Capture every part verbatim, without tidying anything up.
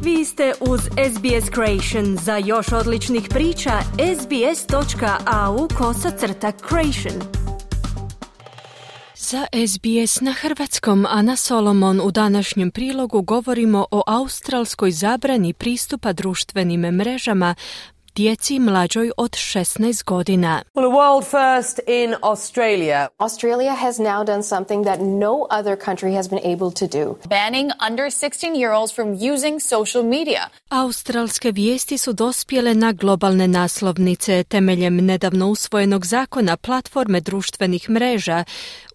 Vi ste uz S B S Creation. Za još odličnih priča, sbs.au kosacrta creation. Za S B S na hrvatskom Ana Solomon u današnjem prilogu govorimo o australskoj zabrani pristupa društvenim mrežama djeci mlađoj od šesnaest godina. Well, a world first in Australia. Australia has now done something that no other country has been able to do. Banning under sixteen-year-olds from using social media. Australske vijesti su dospjele na globalne naslovnice temeljem nedavno usvojenog zakona platforme društvenih mreža,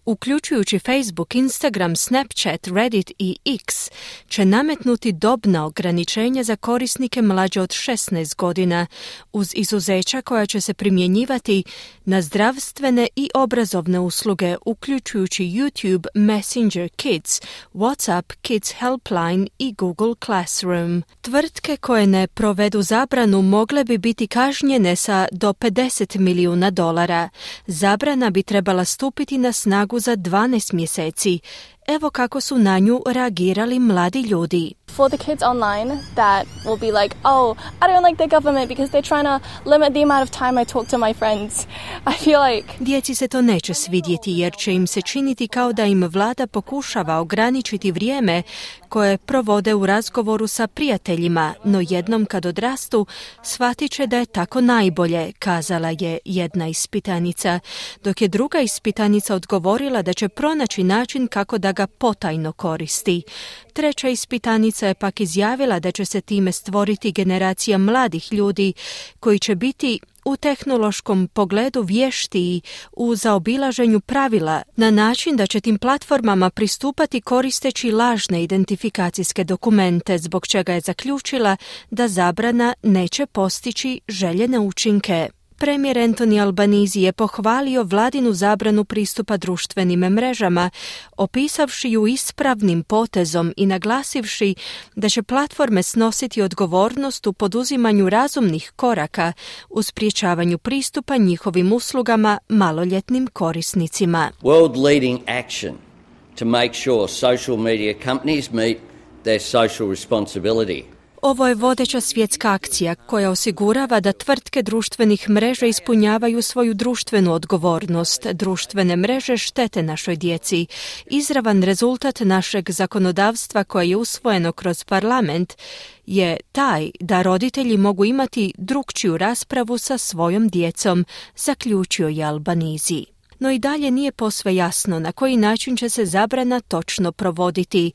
uključujući Facebook, Instagram, Snapchat, Reddit i X, će nametnuti dobna ograničenja za korisnike mlađe od šesnaest godina, uz izuzeća koja će se primjenjivati na zdravstvene i obrazovne usluge, uključujući YouTube, Messenger Kids, WhatsApp, Kids Helpline i Google Classroom. Tvrtke koje ne provedu zabranu mogle bi biti kažnjene sa do pedeset milijuna dolara. Zabrana bi trebala stupiti na snagu za dvanaest mjeseci. Evo kako su na nju reagirali mladi ljudi. For the kids online that will be like, oh, I don't like the government because they're trying to limit the amount of time I talk to my friends. I feel like... Djeci se to neće svidjeti jer će im se činiti kao da im vlada pokušava ograničiti vrijeme koje provode u razgovoru sa prijateljima, no jednom kad odrastu shvatit će da je tako najbolje, kazala je jedna ispitanica, dok je druga ispitanica odgovorila da će pronaći način kako da ga potajno koristi. Treća ispitanica je pak izjavila da će se time stvoriti generacija mladih ljudi koji će biti u tehnološkom pogledu vještiji u zaobilaženju pravila na način da će tim platformama pristupati koristeći lažne identifikacijske dokumente, zbog čega je zaključila da zabrana neće postići željene učinke. Premijer Anthony Albanese je pohvalio vladinu zabranu pristupa društvenim mrežama, opisavši ju ispravnim potezom i naglasivši da će platforme snositi odgovornost u poduzimanju razumnih koraka u sprječavanju pristupa njihovim uslugama maloljetnim korisnicima. World leading action to make sure social media companies meet their social responsibility. Ovo je vodeća svjetska akcija koja osigurava da tvrtke društvenih mreža ispunjavaju svoju društvenu odgovornost. Društvene mreže štete našoj djeci. Izravan rezultat našeg zakonodavstva koje je usvojeno kroz parlament je taj da roditelji mogu imati drukčiju raspravu sa svojom djecom, zaključio je Albanese. No i dalje nije posve jasno na koji način će se zabrana točno provoditi.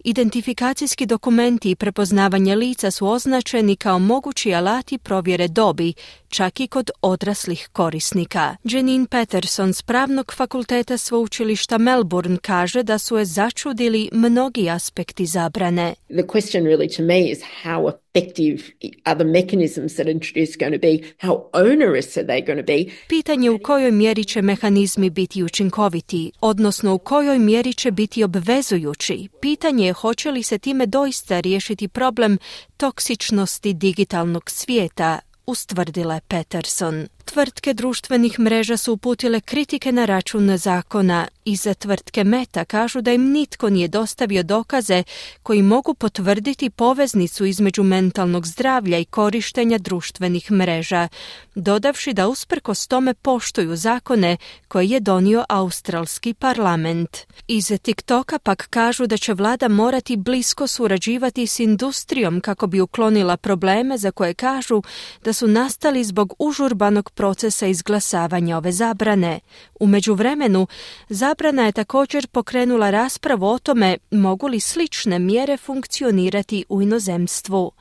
Identifikacijski dokumenti i prepoznavanje lica su označeni kao mogući alati provjere dobi, čak i kod odraslih korisnika. Janine Patterson s Pravnog fakulteta sveučilišta Melbourne kaže da su je začudili mnogi aspekti zabrane. The question really to me is how effective are the mechanisms that are introduced going to be, how onerous are they going to be? Pitanje u kojoj mjeri će mehanizmi biti učinkoviti, odnosno u kojoj mjeri će biti obvezujući. Pitanje je hoće li se time doista riješiti problem toksičnosti digitalnog svijeta, ustvrdila je Patterson. Tvrtke društvenih mreža su uputile kritike na račun zakona. Iza tvrtke Meta kažu da im nitko nije dostavio dokaze koji mogu potvrditi poveznicu između mentalnog zdravlja i korištenja društvenih mreža, dodavši da usprkos tome poštuju zakone koje je donio australski parlament. Iz TikToka pak kažu da će vlada morati blisko surađivati s industrijom kako bi uklonila probleme za koje kažu da su nastali zbog užurbanog procesa izglasavanja ove zabrane. U međuvremenu, zabrana je također pokrenula raspravu o tome mogu li slične mjere funkcionirati u inozemstvu.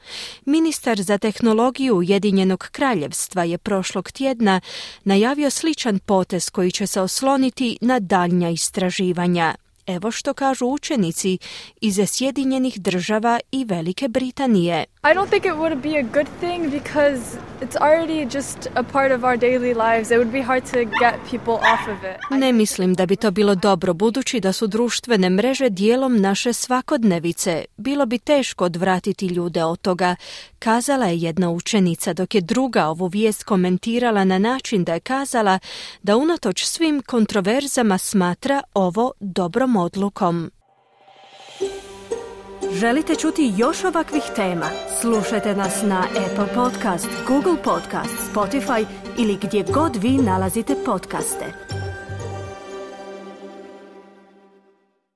Ministar za tehnologiju Ujedinjenog kraljevstva je prošlog tjedna najavio sličan potez koji će se osloniti na daljnja istraživanja. Evo što kažu učenici iz Sjedinjenih država i Velike Britanije. I don't think it would be a good thing because it's already just a part of our daily lives. It would be hard to get people off of it. Ne mislim da bi to bilo dobro budući da su društvene mreže dijelom naše svakodnevice. Bilo bi teško odvratiti ljude od toga, kazala je jedna učenica, dok je druga ovu vijest komentirala na način da je kazala da unatoč svim kontroverzama smatra ovo dobrom odlukom. Želite čuti još ovakvih tema? Slušajte nas na Apple Podcast, Google Podcast, Spotify ili gdje god vi nalazite podcaste.